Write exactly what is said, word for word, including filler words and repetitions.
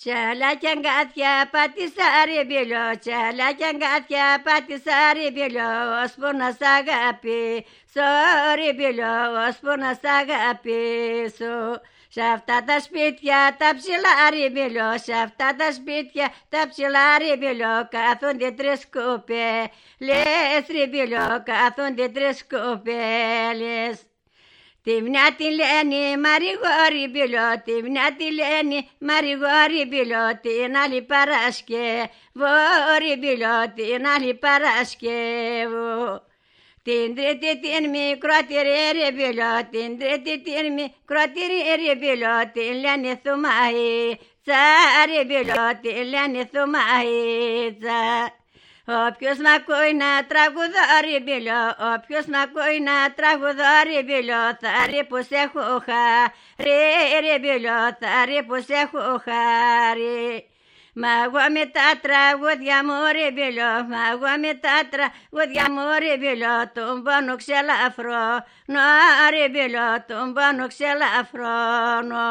Τσάλα κι αγκάθια πάτησα ρε μπήλο, τσάλα κι αγκάθια πάτησα ρε μπήλο, ώσπου να σ' αγαπήσω ρε μπήλο, ώσπου να σ' αγαπήσω. Σ' αυτά τα σπίτια τα ψηλά ρε μπήλο, σ' αυτά τα σπίτια τα ψηλά ρε μπήλο, κάθονται τρεις κοπέλες ρε μπήλο, κάθονται τρεις κοπέλες. Τη μια τη λένε Μαριγόρη μπήλο, τη μια τη λένε Μαριγόρη μπήλο, την άλλη Παρασκευή μπήλο, την άλλη Παρασκευή. Την τρίτη την μικρότερη ρε μπήλο, την τρίτη την μικρότερη ρε μπήλο, την λένε Θουμαΐτσα ρε μπήλο, την λένε Θουμαΐτσα. Όποιος μ' ακούει να τραγουδώ ρε μπήλο, όποιος μ' ακούει να τραγουδώ ρε μπήλο, θα ρει που σ' έχω χάρη ρε μπήλο, θα ρει που σ' έχω χάρη. Μα εγώ με τα τραγούδια μου ρε μπήλο, μα εγώ με τα τραγούδια μου ρε μπήλο, τον πόνο ξελαφρώνω ρε μπήλο, τον πόνο ξελαφρώνω.